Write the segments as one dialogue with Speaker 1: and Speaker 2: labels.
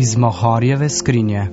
Speaker 1: iz Mohorjeve skrinje.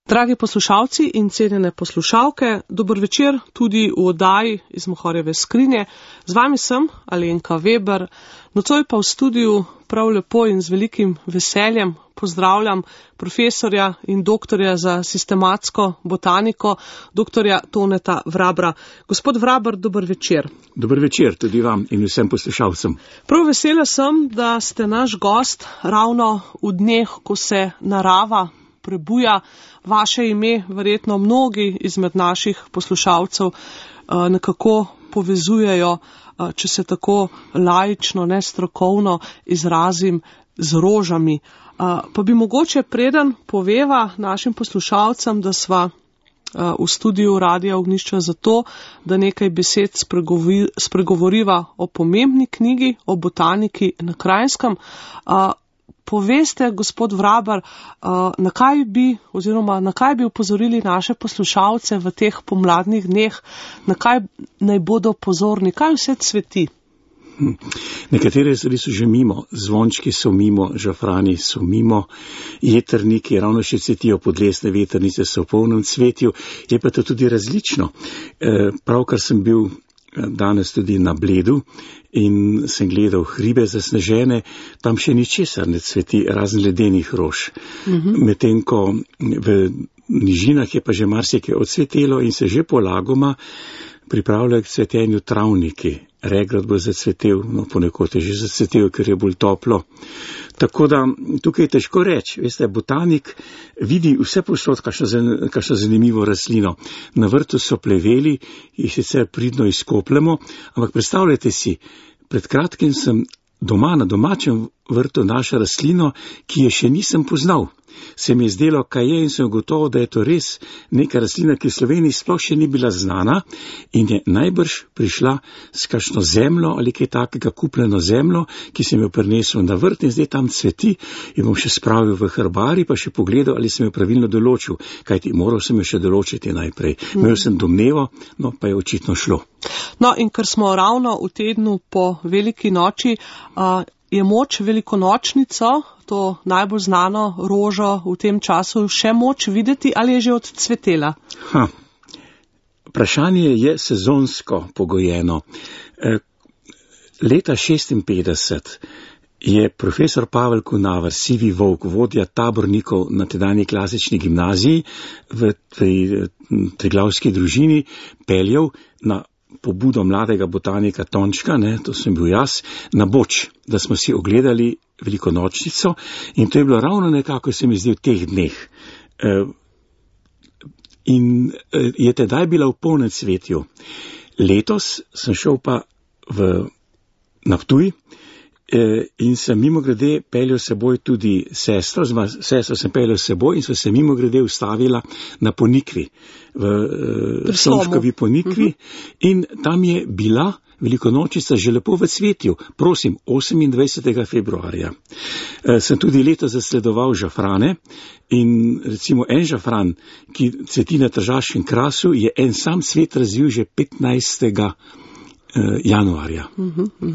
Speaker 2: Dragi poslušalci in cenjene poslušalke, dober večer tudi v oddaji iz Mohorjeve skrinje. Z vami sem Alenka Weber, nocoj pa v studiu prav lepo in z velikim veseljem pozdravljam profesorja in doktorja za sistematsko botaniko, doktorja Toneta Vrabra. Gospod Vraber, dober večer.
Speaker 3: Dober večer tudi vam in vsem poslušalcem.
Speaker 2: Prav vesela sem, da ste naš gost ravno v dneh, ko se narava prebuja. Vaše ime verjetno mnogi izmed naših poslušalcev nekako povezujejo, če se tako laično, nestrokovno izrazim, z rožami. Pa bi mogoče preden poveva našim poslušalcem, da sva v studiu Radia Ognjišče zato, da nekaj besed spregovoriva o pomembni knjigi, o botaniki na Kranjskem. Poveste, gospod Vraber, na kaj bi upozorili naše poslušalce v teh pomladnih dneh, na kaj naj bodo pozorni, kaj vse cveti?
Speaker 3: Nekatere stvari so že mimo, zvončki so mimo, žafrani so mimo, jetrniki ravno še cvetijo, podlesne vetrnice so v polnem cvetju, je pa to tudi različno. Pravkar sem bil danes tudi na Bledu in sem gledal hribe zasnežene, tam še ničesar ne cveti, razen ledenih rož. Medtem ko v nižinah je pa že marsikaj odcvetelo in se že polagoma pripravljajo k cvetenju travniki. Regrat bo zacvetel, ponekod je že zacvetel, ker je bolj toplo. Tako da tukaj je težko reči, veste, botanik vidi vse posod, kakšno zanimivo rastlino. Na vrtu so pleveli, jih sicer pridno izkopljemo, ampak predstavljajte si, pred kratkim sem doma na domačem vrtu našel rastlino, ki je še nisem poznal. Se mi je zdelo, kaj je, in sem gotovo, da je to res neka rastlina, ki v Sloveniji sploh še ni bila znana in je najbrž prišla s kakšno zemljo ali kaj takega, kupljeno zemljo, ki sem jo prinesel na vrt in zdaj tam cveti in bom še spravil v herbari, pa še pogledal, ali sem jo pravilno določil, kajti moral sem jo še določiti najprej. Imel sem domnevo, no pa je očitno šlo.
Speaker 2: No in ker smo ravno v tednu po veliki noči, je moč velikonočnico, to najbolj znano rožo v tem času, še moč videti ali je že odcvetela?
Speaker 3: Vprašanje je sezonsko pogojeno. Leta 1956 je profesor Pavel Kunaver, sivi volk, vodja tabornikov na tedanji klasični gimnaziji v Triglavski družini, peljal na pobudo mladega botanika Tončka, to sem bil jaz, na Boč, da smo si ogledali velikonočnico in to je bilo ravno nekako, se mi zdi, v teh dneh. In je tedaj bila v polnem cvetju. Letos sem šel pa na Ptuj in sem mimogrede peljal seboj tudi sestro sem peljal seboj in so se mimogrede ustavila na Ponikvi, v Slomškovi Ponikvi, in tam je bila velikonočnica že lepo v cvetju, prosim, 28. februarja. Sem tudi letos zasledoval žafrane in recimo en žafran, ki cveti na tržaškem krasu, je en sam cvet razvil že 15. januarja.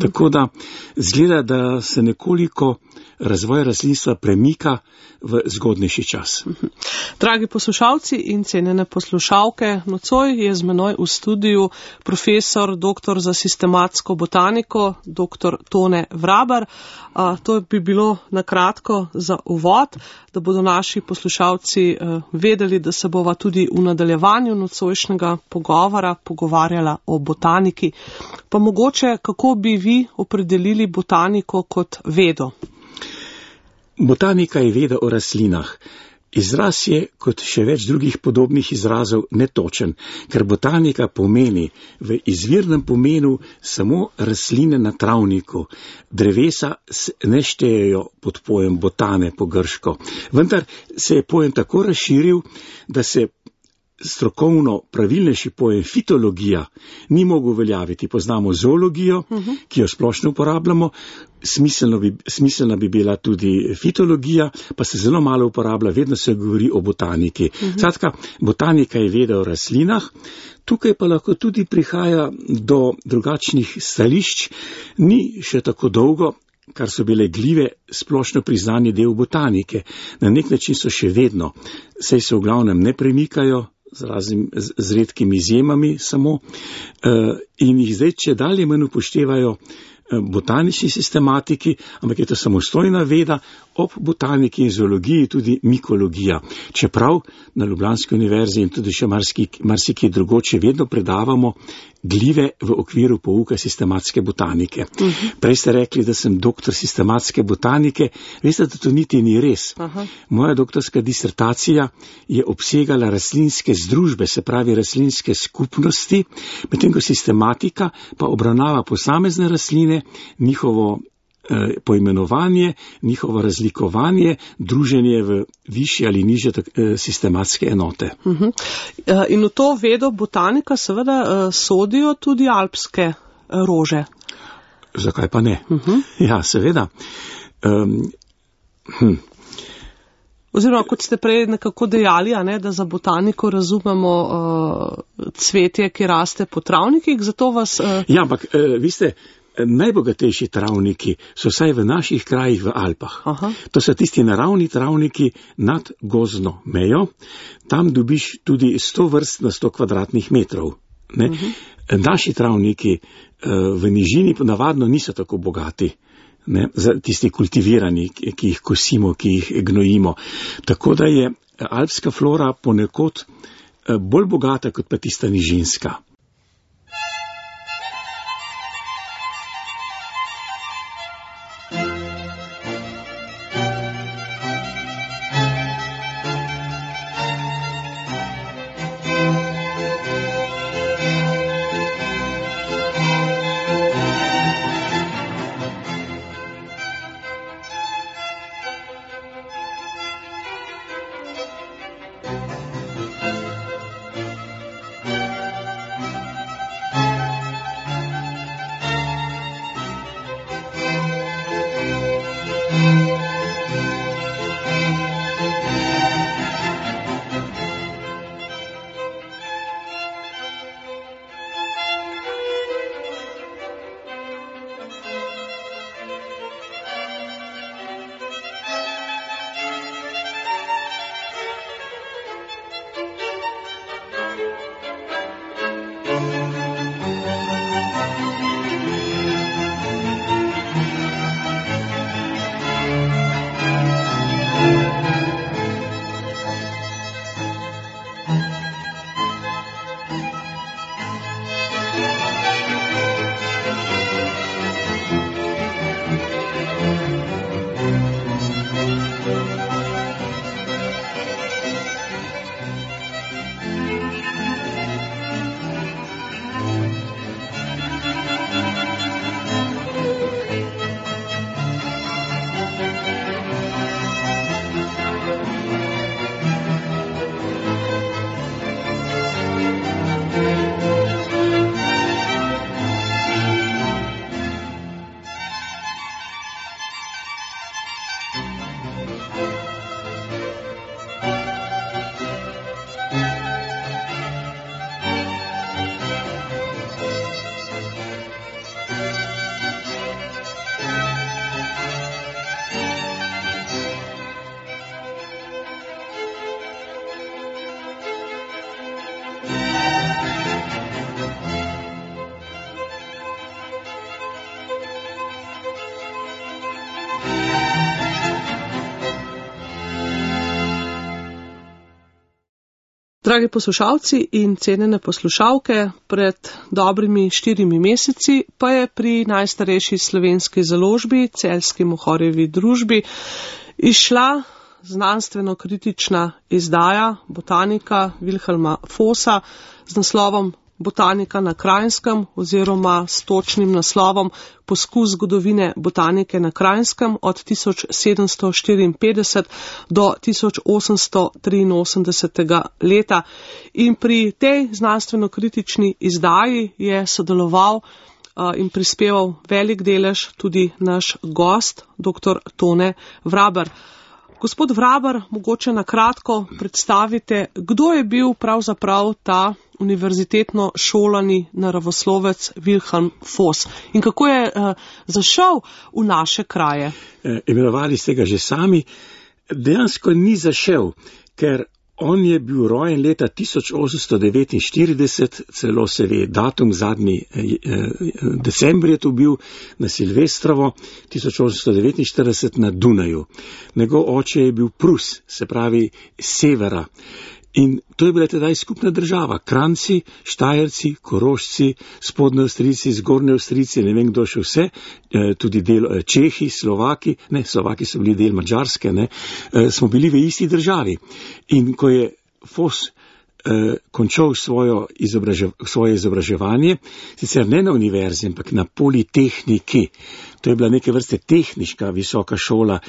Speaker 3: Tako da zgleda, da se nekoliko razvoj rastlinstva premika v zgodnejši čas.
Speaker 2: Dragi poslušalci in cenjene poslušalke, nocoj je z menoj v studiu profesor, doktor za sistematsko botaniko, doktor Tone Vraber. To bi bilo na kratko za uvod, da bodo naši poslušalci vedeli, da se bova tudi v nadaljevanju nocojšnjega pogovora pogovarjala o botaniki. Pa mogoče, kako bi vi opredelili botaniko kot vedo?
Speaker 3: Botanika je veda o rastlinah. Izraz je, kot še več drugih podobnih izrazov, netočen, ker botanika pomeni v izvirnem pomenu samo rastline na travniku. Drevesa ne štejejo pod pojem botane po grško. Vendar se je pojem tako razširil, da se strokovno pravilnejši pojem fitologija ni mogel uveljaviti. Poznamo zoologijo, ki jo splošno uporabljamo, smiselna bi bila tudi fitologija, pa se zelo malo uporablja, vedno se govori o botaniki. Skratka, botanika je veda o rastlinah, tukaj pa lahko tudi prihaja do drugačnih stališč, ni še tako dolgo, kar so bile glive splošno priznani del botanike. Na nek način so še vedno, saj se v glavnem ne premikajo, z redkimi izjemami samo, in jih zdaj če dalje manj upoštevajo botanični sistematiki, ampak je to samostojna veda, ob botaniki in zoologiji tudi mikologija. Čeprav na Ljubljanski univerzi in tudi še marsikje drugoče vedno predavamo glive v okviru pouka sistematske botanike. Prej ste rekli, da sem doktor sistematske botanike, veste, da to niti ni res. Moja doktorska disertacija je obsegala rastlinske združbe, se pravi rastlinske skupnosti, medtem ko sistematika pa obravnava posamezne rastline, njihovo poimenovanje, njihovo razlikovanje, druženje v višje ali nižje sistematske enote.
Speaker 2: In v to vedo botanika seveda sodijo tudi alpske rože.
Speaker 3: Zakaj pa ne? Ja, seveda.
Speaker 2: Oziroma, kot ste prej nekako dejali, da za botaniko razumemo cvetje, ki raste po travnikih, zato vas...
Speaker 3: Ja, ampak vi ste... Najbogatejši travniki so vsaj v naših krajih v Alpah. To so tisti naravni travniki nad gozdno mejo. Tam dobiš tudi 100 vrst na 100 kvadratnih metrov. Naši travniki v nižini navadno niso tako bogati. Tisti kultivirani, ki jih kosimo, ki jih gnojimo. Tako da je alpska flora ponekod bolj bogata kot pa tista nižinska.
Speaker 2: Dragi poslušalci in cenjene poslušalke, pred dobrimi 4 meseci pa je pri najstarejši slovenski založbi, Celjski Mohorjevi družbi, izšla znanstveno-kritična izdaja Botanika Wilhelma Vossa z naslovom Botanika na Kranjskem oziroma s točnim naslovom Poskus zgodovine botanike na Kranjskem od 1754 do 1883 leta. In pri tej znanstveno-kritični izdaji je sodeloval in prispeval velik delež tudi naš gost, dr. Tone Vraber. Gospod Vraber, mogoče na kratko predstavite, kdo je bil pravzaprav ta univerzitetno šolani naravoslovec Wilhelm Voss in kako je zašel v naše kraje.
Speaker 3: Imenovali ste ga že sami, dejansko ni zašel, ker on je bil rojen leta 1849, celo se ve datum, zadnji december je to bil, na Silvestrovo, 1849 na Dunaju. Njegov oče je bil Prus, se pravi severa. In to je bila tedaj skupna država. Kranjci, Štajerci, Korošci, spodnji Avstrijci, zgornji Avstrijci, ne vem kdo še vse, tudi del Čehi, Slovaki so bili del Madžarske, smo bili v isti državi. In ko je Voss končal svoje izobraževanje, sicer ne na univerzi, ampak na Politehniki, to je bila neke vrste tehniška visoka šola,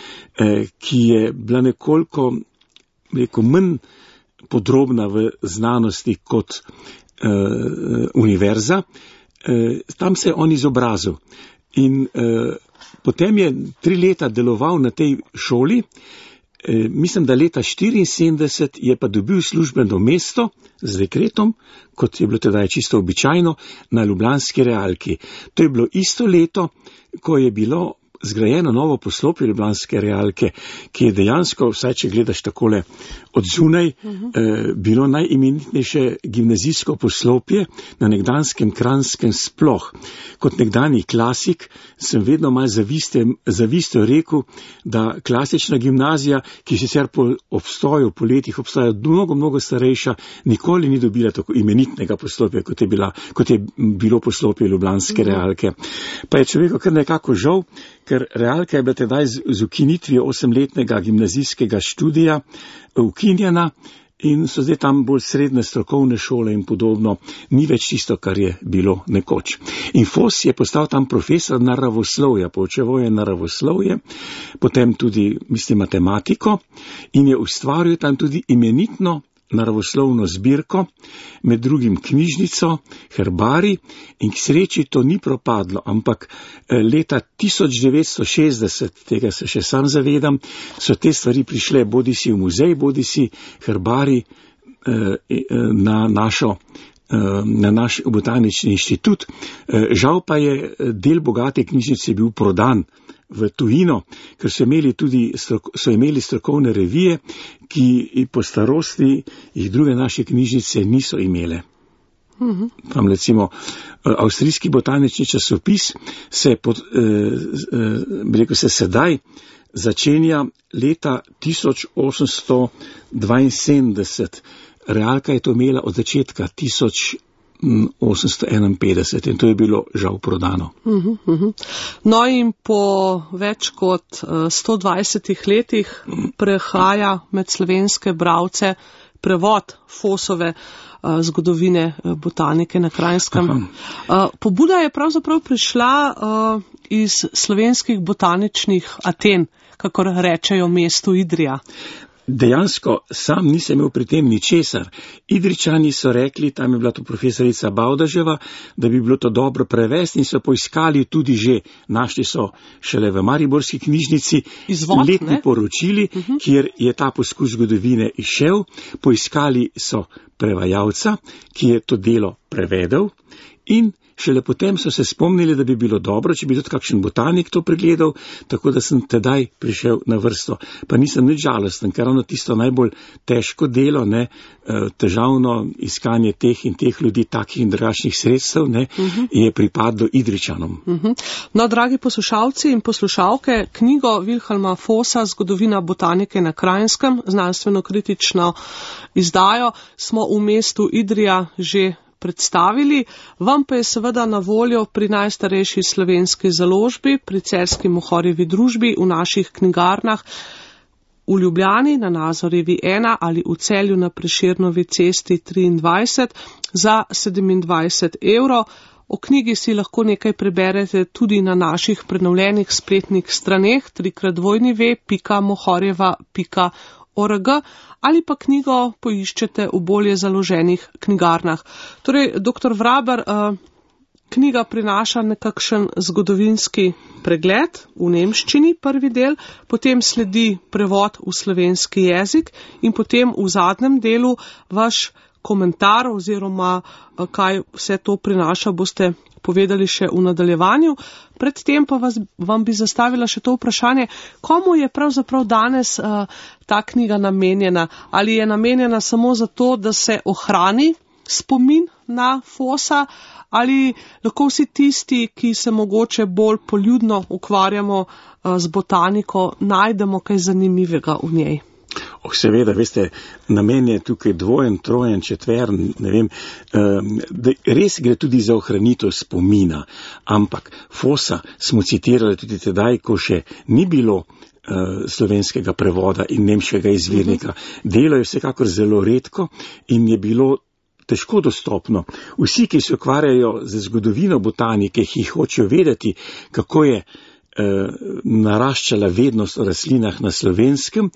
Speaker 3: ki je bila nekoliko manj podrobna v znanosti kot univerza, tam se je on izobrazil. In potem je 3 leta deloval na tej šoli, mislim, da leta 1974 je pa dobil službeno mesto z dekretom, kot je bilo tedaj čisto običajno, na ljubljanski realki. To je bilo isto leto, ko je bilo zgrajeno novo poslopje ljubljanske realke, ki je dejansko, vsaj če gledaš takole od zunaj, bilo najimenitnejše gimnazijsko poslopje na nekdanskem Kranjskem sploh. Kot nekdanji klasik sem vedno malo zavistjo rekel, da klasična gimnazija, ki sicer po letih obstoja mnogo starejša, nikoli ni dobila tako imenitnega poslopja, kot je bilo poslopje ljubljanske realke. Pa je človeku kar nekako žal, ker realka je bila tedaj z ukinitvijo 8-letnega gimnazijskega študija ukinjena in so zdaj tam bolj srednje strokovne šole in podobno, ni več tisto, kar je bilo nekoč. In Voss je postal tam profesor naravoslovja, poučeval je naravoslovje, potem tudi, matematiko in je ustvaril tam tudi imenitno naravoslovno zbirko, med drugim knjižnico, herbarij, in k sreči to ni propadlo, ampak leta 1960, tega se še sam zavedam, so te stvari prišle bodisi v muzej, bodisi herbarij na naš botanični inštitut. Žal pa je del bogate knjižnice bil prodan v tujino, ker so imeli strokovne revije, ki po starosti jih druge naše knjižnice niso imele. Tam recimo avstrijski botanični časopis se sedaj začenja leta 1872. Realka je to imela od začetka 1851 in to je bilo žal prodano.
Speaker 2: No in po več kot 120 letih prehaja med slovenske bralce prevod Vossove zgodovine botanike na Kranjskem. Pobuda je pravzaprav prišla iz slovenskih botaničnih Aten, kakor rečejo mestu Idrija.
Speaker 3: Dejansko sam nisem imel pri tem ničesar. Idričani so rekli, tam je bila to profesorica Bavdaževa, da bi bilo to dobro prevesti in so poiskali tudi že, našli so šele v mariborski knjižnici letni poročili, kjer je ta poskus zgodovine izšel, poiskali so prevajalca, ki je to delo prevedel in šele potem so se spomnili, da bi bilo dobro, če bi tudi kakšen botanik to pregledal, tako da sem tedaj prišel na vrsto. Pa nisem nič žalosten, ker ravno tisto najbolj težko delo, ne, težavno iskanje teh in teh ljudi, takih in drugačnih sredstev, ne, je pripadlo Idrijčanom.
Speaker 2: No, dragi poslušalci in poslušalke, knjigo Vilhelma Fossa Zgodovina botanike na Kranjskem, znanstveno-kritično izdajo, smo v mestu Idrija že predstavili, vam pa je seveda na voljo pri najstarejši slovenski založbi, pri Celjski Mohorjevi družbi, v naših knjigarnah, v Ljubljani na Nazorjevi 1 ali v Celju na Prešernovi cesti 23 za 27 €. O knjigi si lahko nekaj preberete tudi na naših prenovljenih spletnih straneh www.mohorjeva.org ali pa knjigo poiščete v bolje založenih knjigarnah. Torej, dr. Vraber, knjiga prinaša nekakšen zgodovinski pregled v nemščini, prvi del, potem sledi prevod v slovenski jezik in potem v zadnjem delu vaš komentar oziroma kaj vse to prinaša, boste povedali še v nadaljevanju. Predtem pa vam bi zastavila še to vprašanje, komu je pravzaprav danes ta knjiga namenjena? Ali je namenjena samo zato, da se ohrani spomin na Fossa, ali lahko vsi tisti, ki se mogoče bolj poljudno ukvarjamo z botaniko, najdemo kaj zanimivega v njej?
Speaker 3: Seveda, veste, namen je tukaj dvojen, trojen, četveren, ne vem, res gre tudi za ohranitev spomina, ampak Fossa smo citirali tudi tedaj, ko še ni bilo slovenskega prevoda in nemškega izvirnika. Delo je vsekakor zelo redko in je bilo težko dostopno. Vsi, ki se ukvarjajo z zgodovino botanike, ki hočejo vedeti, kako je naraščala vednost o rastlinah na Slovenskem,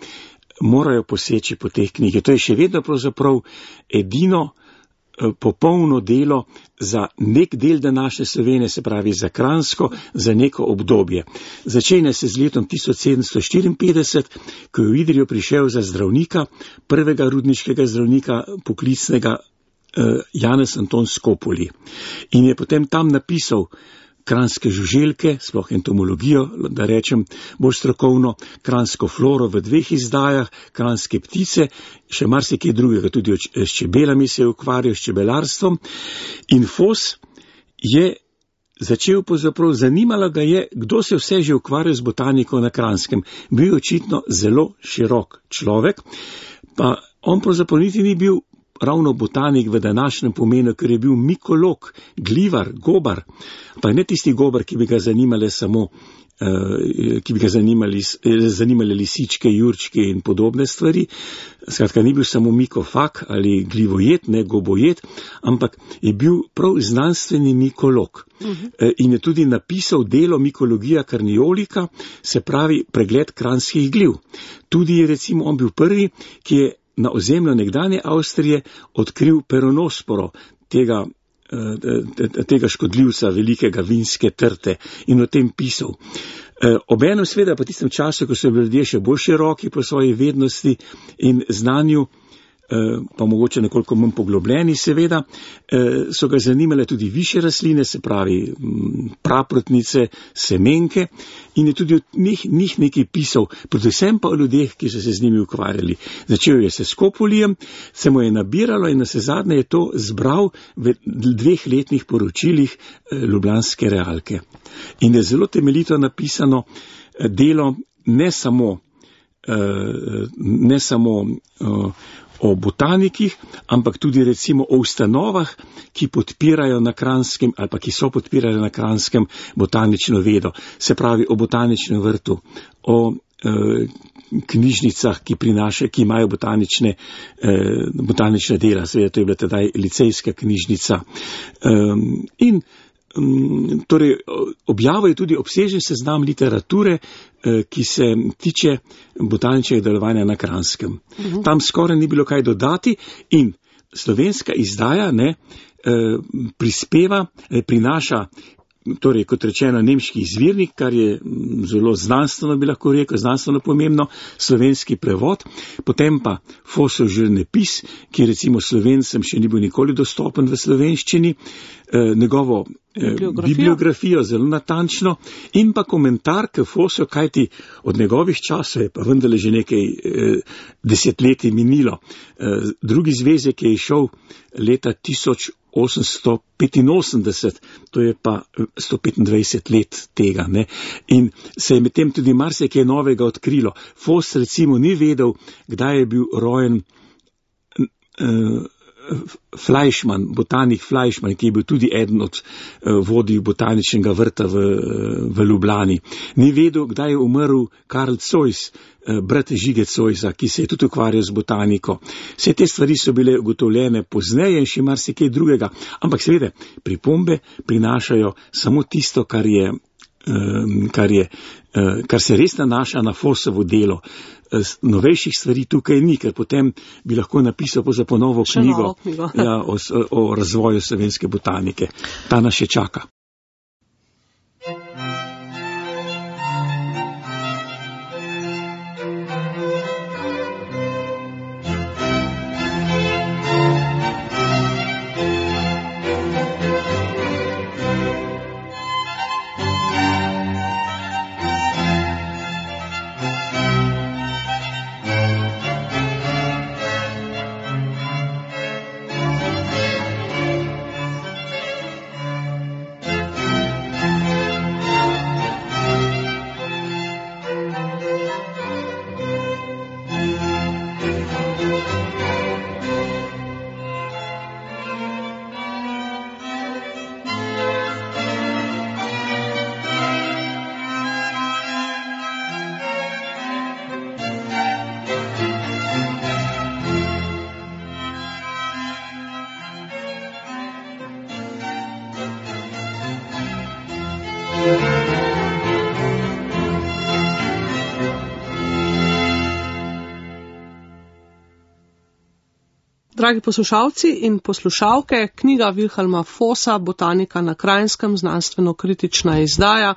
Speaker 3: morajo poseči po teh knjige. To je še vedno pravzaprav edino popolno delo za nek del današnje Slovenije, se pravi za Kranjsko, za neko obdobje. Začenja se z letom 1754, ko je v Idrijo prišel za zdravnika, prvega rudniškega zdravnika poklicnega Janez Anton Skopoli. In je potem tam napisal kranjske žuželke, sploh entomologijo, da rečem bolj strokovno, kranjsko floro v 2 izdajah, kranjske ptice, še marsikaj drugega, tudi s čebelami se je ukvarjal, s čebelarstvom. In Foss je začel pravzaprav, zanimalo ga je, kdo se vse že ukvarjal z botaniko na Kranjskem. Bil je očitno zelo širok človek, pa on pravzaprav niti ni bil ravno botanik v današnjem pomenu, ker je bil mikolog, glivar, gobar, pa ne tisti gobar, ki bi ga zanimali samo, ki bi ga zanimali lisičke, jurčke in podobne stvari. Skratka, ni bil samo mikofag ali glivojet, ne gobojet, ampak je bil prav znanstveni mikolog. In je tudi napisal delo Mikologija Carniolika, se pravi pregled kranjskih gliv. Tudi recimo on bil prvi, ki je na ozemlju nekdanje Avstrije odkril peronosporo, tega škodljivca velikega vinske trte, in o tem pisal. Obenem seveda pa tistem času, ko so bili ljudje še bolj široki po svoji vednosti in znanju, pa mogoče nekoliko manj poglobljeni seveda, so ga zanimale tudi višje rastline, se pravi praprotnice, semenke, in je tudi od njih nekaj pisal, predvsem pa o ljudeh, ki so se z njimi ukvarjali. Začel je se s Skopolijem, se mu je nabiralo in naslednje je to zbral v 2 letnih poročilih Ljubljanske realke. In je zelo temeljito napisano delo ne samo o botanikih, ampak tudi recimo o ustanovah, ki podpirajo na Kranjskem ali pa ki so podpirali na Kranjskem botanično vedo. Se pravi o botaničnem vrtu, o knjižnicah, ki imajo botanične dela, seveda to je bila tedaj licejska knjižnica. In torej objavil je tudi obsežen seznam literature, ki se tiče botaničnega delovanja na Kranjskem. Tam skoraj ni bilo kaj dodati in slovenska izdaja prinaša torej kot rečeno nemški izvirnik, kar je zelo znanstveno, bi lahko rekel, znanstveno pomembno, slovenski prevod, potem pa Fossov življenjepis, ki recimo Slovencem še ni bil nikoli dostopen v slovenščini, njegovo bibliografijo zelo natančno in pa komentar k Fossu, kajti od njegovih časov je pa vendarle že nekaj desetletij minilo. Drugi zvezek je išel leta 1885, to je pa 125 let tega, ne. In se je medtem tudi marsikaj novega odkrilo. Foss recimo ni vedel, kdaj je bil rojen Fleischmann, botanik Fleischmann, ki je bil tudi eden od vodij botaničnega vrta v Ljubljani. Ni vedel, kdaj je umrl Karl Zois, brat Žige Zoisa, ki se je tudi ukvarjal z botaniko. Vse te stvari so bile ugotovljene pozneje in še marsikaj drugega, ampak seveda pripombe prinašajo samo tisto, kar se res nanaša na Fossovo delo. Novejših stvari tukaj ni, ker potem bi lahko napisal po novo knjigo o razvoju slovenske botanike. Ta nas še čaka.
Speaker 2: Dragi poslušalci in poslušalke, knjiga Wilhelma Fossa, Botanika na Kranjskem, znanstveno-kritična izdaja,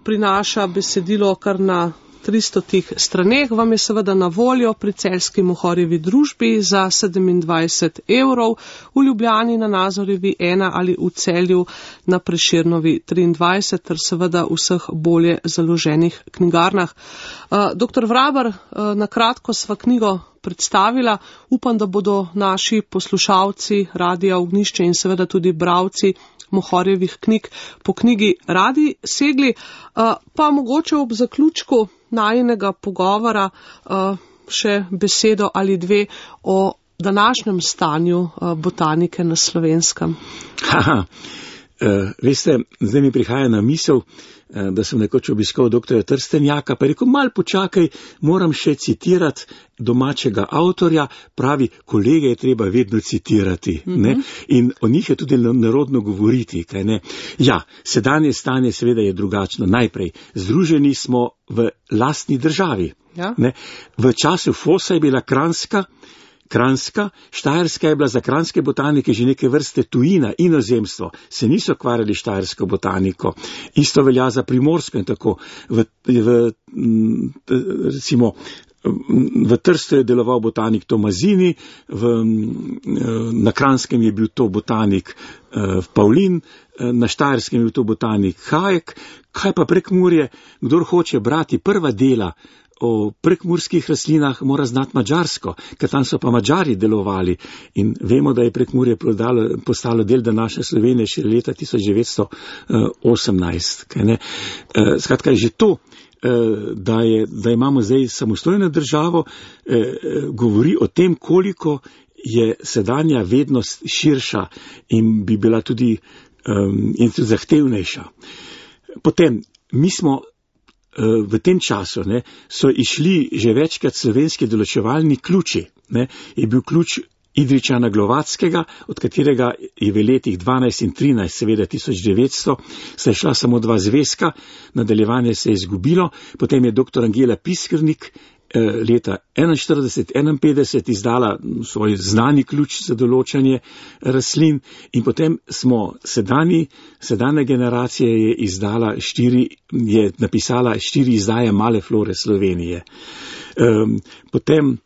Speaker 2: prinaša besedilo kar na 300 straneh, vam je seveda na voljo pri Celjski Mohorjevi družbi za 27 €, v Ljubljani na Nazorjevi 1 ali v Celju na Prešernovi 23 ter seveda v vseh bolje založenih knjigarnah. Dr. Vraber, na kratko sva knjigo predstavila. Upam, da bodo naši poslušalci Radia Ognjišče in seveda tudi bralci Mohorjevih knjig po knjigi radi segli. Pa mogoče ob zaključku najinega pogovora še besedo ali dve o današnjem stanju botanike na Slovenskem.
Speaker 3: Veste, zdaj mi prihaja na misel, da sem nekoč obiskal dr. Trstenjaka, pa je rekel, mal počakaj, moram še citirati domačega avtorja, pravi, kolege je treba vedno citirati, ne? In o njih je tudi narodno govoriti, kaj ne? Ja, sedanje stanje seveda je drugačno. Najprej, združeni smo v lastni državi, ne? V času Fossa je bila Kranjska, Štajerska je bila za kranjske botanike že neke vrste tujina, inozemstvo, se niso ukvarjali štajersko botaniko. Isto velja za Primorsko in tako. Recimo, v Trstu je deloval botanik Tomazini, na Kranjskem je bil to botanik Pavlin, na Štajerskem je bil to botanik Hajek. Kaj pa Prekmurje? Kdor hoče brati prva dela o prekmurskih rastlinah, mora znati madžarsko, ker tam so pa Madžari delovali in vemo, da je Prekmurje postalo del današnje Slovenije še leta 1918. Skratka, že to, da imamo zdaj samostojno državo, govori o tem, koliko je sedanja vednost širša in bi bila tudi zahtevnejša. Potem, mi smo v tem času so išli že večkrat slovenski določevalni ključi. Je bil ključ Idričana Glovackega, od katerega je v letih 12 in 13, seveda 1900, sta šla samo 2 zvezka, nadaljevanje se je izgubilo, potem je dr. Angela Piskrnik leta 41-51 izdala svoj znani ključ za določanje rastlin in potem smo sedanja generacija je napisala 4 izdaje Male flore Slovenije. Potem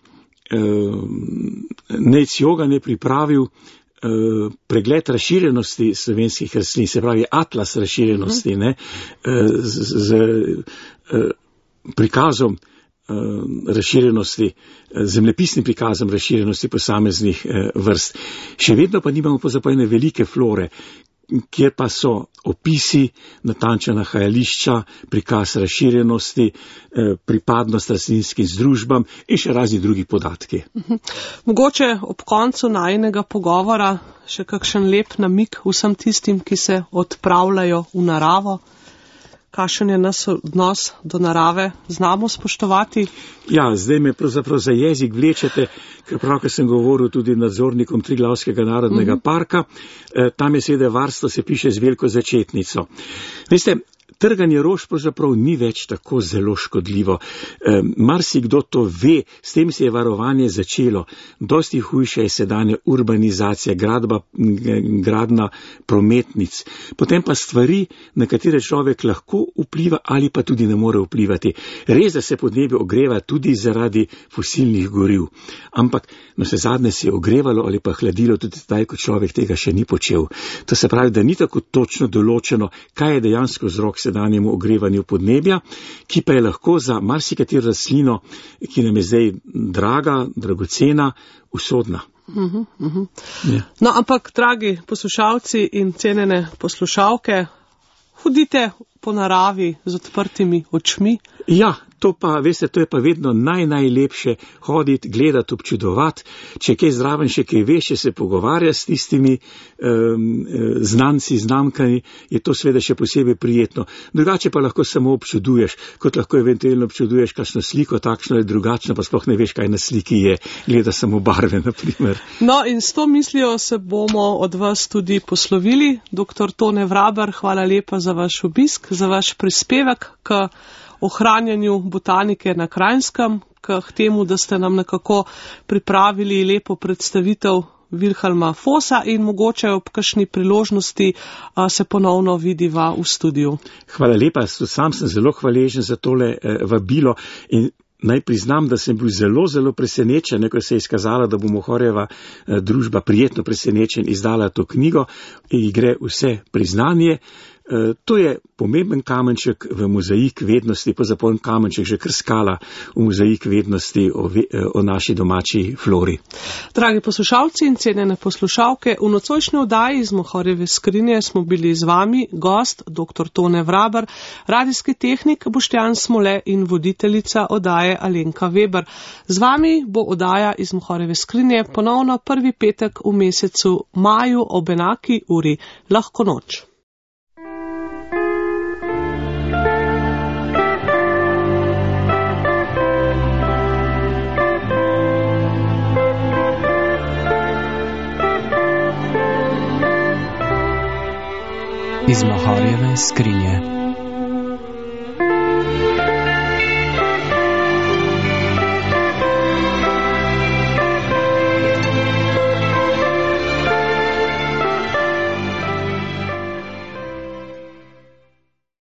Speaker 3: Nec Jogan je pripravil pregled razširjenosti slovenskih rastlin, se pravi atlas razširjenosti, z prikazom razširjenosti, zemljepisnim prikazom razširjenosti posameznih vrst. Še vedno pa nimamo pozapojene velike flore, kjer pa so opisi, natančna nahajališča, prikaz razširjenosti, pripadnost rastlinskim združbam in še razni drugi podatki.
Speaker 2: Mogoče ob koncu najinega pogovora še kakšen lep namig vsem tistim, ki se odpravljajo v naravo. Kakšen je nas odnos do narave? Znamo spoštovati?
Speaker 3: Ja, zdaj me pravzaprav za jezik vlečete, ker pravkar sem govoril tudi nadzornikom Triglavskega narodnega parka. Tam je seveda varstvo, se piše z veliko začetnico. Veste, trganje rož pravzaprav ni več tako zelo škodljivo. Marsikdo to ve, s tem se je varovanje začelo. Dosti hujša je sedanja urbanizacija, gradna prometnic. Potem pa stvari, na katere človek lahko vpliva ali pa tudi ne more vplivati. Res, da se podnebje ogreva tudi zaradi fosilnih goriv. Ampak navsezadnje se je ogrevalo ali pa hladilo tudi zdaj, ko človek tega še ni počel. To se pravi, da ni tako točno določeno, kaj je dejansko vzrok sedanjemu ogrevanju podnebja, ki pa je lahko za marsikatero rastlino, ki nam je zdaj draga, dragocena, usodna.
Speaker 2: Ja. No, ampak, dragi poslušalci in cenjene poslušalke, hodite po naravi z odprtimi očmi.
Speaker 3: Ja, to pa, veste, to je pa vedno najlepše hoditi, gledati, občudovati. Če kaj zraven še kaj veš, če se pogovarja s tistimi znanci, znamkami, je to seveda še posebej prijetno. Drugače pa lahko samo občuduješ, kot lahko eventualno občuduješ kakšno sliko, takšno ali drugačno, pa sploh ne veš, kaj na sliki je. Gleda samo barve, na primer.
Speaker 2: No, in s to mislijo se bomo od vas tudi poslovili. Dr. Tone Vraber, hvala lepa za vaš obisk, za vaš prispevek k ohranjanju botanike na Kranjskem, k temu, da ste nam nekako pripravili lepo predstavitev Vilhelma Fossa in mogoče ob kakšni priložnosti se ponovno vidiva v studiu.
Speaker 3: Hvala lepa, sam sem zelo hvaležen za tole vabilo in naj priznam, da sem bil zelo presenečen, ko se je izkazalo, da bo Mohorjeva družba prijetno presenečen izdala to knjigo in gre vse priznanje. To je pomemben kamenček v mozaik vednosti, pozapoln kamenček že kar skala v mozaik vednosti o naši domači flori.
Speaker 2: Dragi poslušalci in cenjene poslušalke, v nocojšnji oddaji iz Mohorjeve skrinje smo bili z vami gost dr. Tone Vraber, radijski tehnik Boštjan Smole in voditeljica oddaje Alenka Weber. Z vami bo oddaja iz Mohorjeve skrinje ponovno prvi petek v mesecu maju ob enaki uri. Lahko noč.
Speaker 1: Iz Mohorjeve skrinje.